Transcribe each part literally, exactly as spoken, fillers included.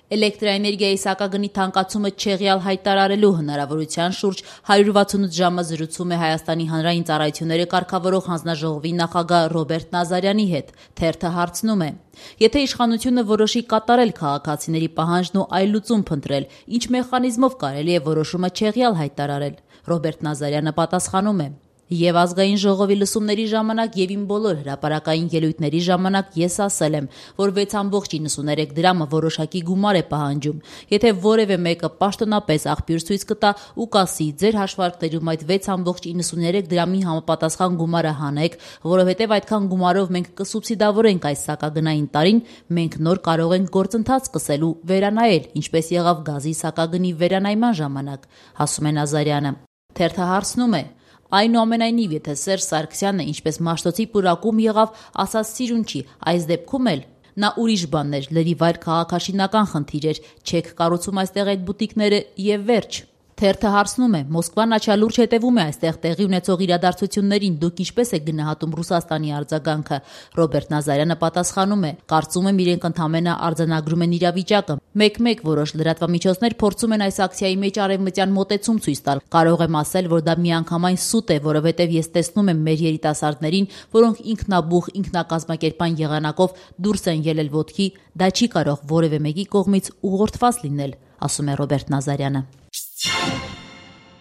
Էլեկտրաէներգիայի սակագնի թանկացումը չեղյալ հայտարարելու հնարավորության շուրջ հարյուր վաթսունութ ժամը զրուցում է Հայաստանի հանրային ծառայությունները կարգավորող հանձնաժողովի նախագահ Ռոբերտ Նազարյանի հետ։ Թերթը հարցնում է. Եթե իշխանությունը որոշի կատարել քաղաքացիների պահանջն ու այլ լուծում փնտրել, ինչ մեխանիզմով կարելի է որոշումը չեղյալ հայտարարել։ Ռոբերտ Նազարյանը պատասխանում է. Եվ ազգային ժողովի լսումների ժամանակ եւ իմ բոլոր հրապարակային ելույթների ժամանակ ես ասել եմ, որ վեց ամբողջ իննսուներեք դրամը որոշակի գումար է պահանջում։ Եթե որևէ մեկը պաշտոնապես աղբյուր ցույց կտա ու կասի ձեր հաշվարկներում այդ վեց ամբողջ իննսուներեք դրամի համապատասխան գումարը հանեք, որովհետեւ այդքան գումարով մենք կսուբսիդավորենք այս սակագնային տարին, մենք նոր կարող ենք գործընթաց սկսել ու վերանայել, ինչպես եղավ գազի սակագնի վերանայման ժամանակ, ասում է Նազարյանը։ Թերթը հարցնում է. Այնուամենայնիվ, եթե Սերժ Սարգսյանը, ինչպես Մաշտոցի պուրակում եղավ, ասած սիրուն չի, այս դեպքում էլ նա ուրիշ բաններ, լրիվ այլ քաղաքաշինական խնդիր էր, չեք կառուցում այստեղ այդ բուտիկները եւ վերջ։ Թերթը հարցնում է. Մոսկվան աչալուրջ հետևում է այստեղ տեղի ունեցող իրադարձություններին, դուք ինչպես եք գնահատում Ռուսաստանի արձագանքը։ Ռոբերտ Նազարյանը պատասխանում է. Կարծում եմ իրենք ընդամենը արձանագրում են իրավիճակը։ Մեկ-մեկ որոշ լրատվամիջոցներ փորձում են այս ակցիայի մեջ արևմտյան մոտեցում ցույց տալ։ Կարող եմ ասել, որ դա միանգամայն սուտ է, որովհետև ես տեսնում եմ մեր երիտասարդներին, որոնք ինքնաբուխ, ինքնակազմակերպան եղանակով դուրս են ելել ոտքի, դա չի կարող որևէ մեկի կողմից ուղղորդված լինել, ասում է Ռոբերտ Նազարյանը։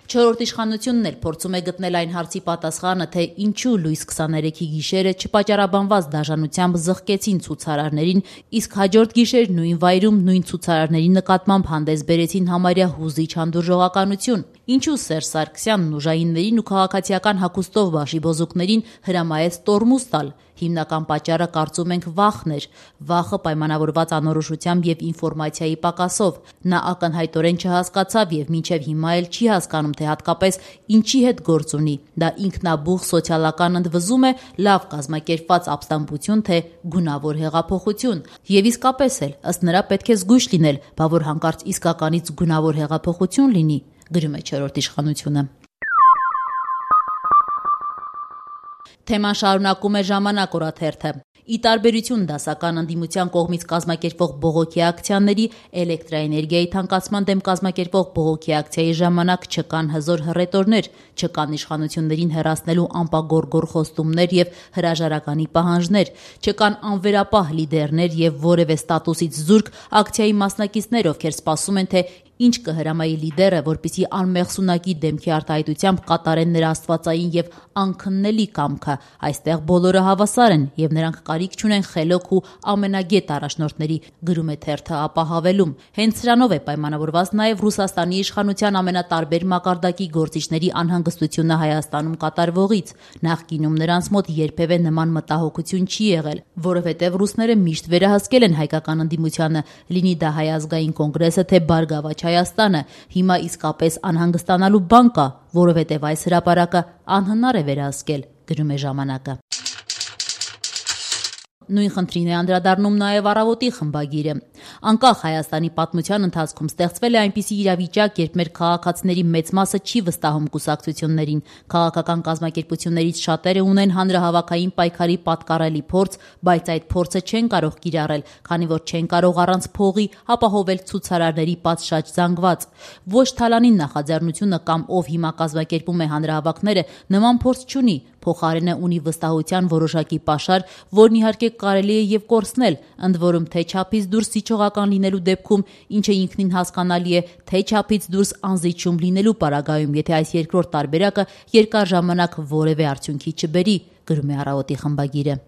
Չորրորդ իշխանությունն էլ փորձում է գտնել այն հարցի պատասխանը, թե ինչու լույս քսաներեքի գիշերը չպատճառաբանված դաժանությամբ զղկեցին ցուցարարներին, իսկ հաջորդ գիշեր նույն վայրում նույն ցուցարարների նկատմամբ հանդես բերեցին համարյա հուզիչ հանդուրժողականություն։ Ինչու Սերժ Սարգսյանն ուժայիններին ու քաղաքացիական հագուստով բաշիբոզուկներին հրամայեց տորմուզ տալ։ Հիմնական պատճառը կարծում ենք վախն էր, վախը պայմանավորված անորոշությամբ եւ ինֆորմացիայի պակասով։ Նա ակնհայտորեն չհասկացավ եւ մինչեւ հիմա էլ չի հասկանում, թե հատկապես ինչի հետ գործ ունի։ Դա ինքնաբուխ սոցիալական ընդվզում է, լավ կազմակերպված ապստամբություն, թե գունավոր հեղափոխություն։ Եվ իսկապես էլ, ըստ նրա պետք է զգույշ լինել, բա որ հանկարծ իսկականից գունավոր հեղափոխություն լինի, գրում է չորրորդ իշխանությունը։ Թեման շարունակում է Ժամանակ օրաթերթը։ Ի տարբերություն դասական ընդդիմության կողմից կազմակերպվող բողոքի ակցիաների, էլեկտրաէներգիայի թանկացման դեմ կազմակերպվող բողոքի ակցիայի ժամանակ չկան հզոր հռետորներ, չկան իշխանություններին հեռացնելու անպագորգոր խոստումներ եւ հրաժարականի պահանջներ, չկան անվերապահ լիդերներ եւ որևէ ստատուսից զուրկ ակցիայի մասնակիցներ, ովքեր սպասում են, թե ինչ կհրամայի լիդերը, որպիսի անմեղսունակի դեմքի արտահայտությամբ կատարեն նրա աստվածային եւ անքննելի կամքը։ Այստեղ բոլորը հավասար են եւ նրանք կարիք չունեն խելոք ու ամենագետ առաջնորդների, գրում է թերթը ապահավելում։ Հենց սրանով է պայմանավորված նաեւ Ռուսաստանի իշխանության ամենատարբեր մակարդակի գործիչների անհանգստությունը Հայաստանում կատարվողից։ Նախկինում նրանց մոտ երբևէ նման մտահոգություն չի եղել, որովհետեւ ռուսները միշտ վերահսկել են հայկական ընդդիմությանը, լինի դա Հայ ազգային կոնգրեսը, թե Բարգավաճ Հայաստանը։ Հիմա իսկապես անհանգստանալու բան կա, որովհետև այս հրապարակը անհնար է վերահսկել, գրում է Ժամանակը։ Նույն խնդրին է անդրադառնում նաև Առավոտի խմբագիրը։ Անկախ Հայաստանի պատմության ընթացքում ստեղծվել է այնպիսի իրավիճակ, երբ մեր քաղաքացիների մեծ մասը չի վստահում կուսակցություններին։ Քաղաքական կազմակերպություններից շատերը ունեն հանրահավաքային պայքարի պատկառելի փորձ, բայց այդ փորձը չեն կարող կիրառել, քանի որ չեն կարող առանց փողի ապահովել ցուցարարների պատշաճ զանգված։ Ոչ Թալանին նախաձեռնությունը կամ ով հիմա կազմակերպում է հանրահավաքները նման փորձ չունի, փոխարենը ունի վստահության որոշակի պաշար, որն իհարկե կարելի է եւ կորցնել, ընդ որում թե չափից դուրս զիջողական լինելու դեպքում, ինչը ինքնին հասկանալի է, թե չափից դուրս անզիջում լինելու պարագայում, եթե այս երկրորդ տարբերակը երկար ժամանակ որևէ արդյունքի չբերի, գրում է Առավոտի խմբագիրը։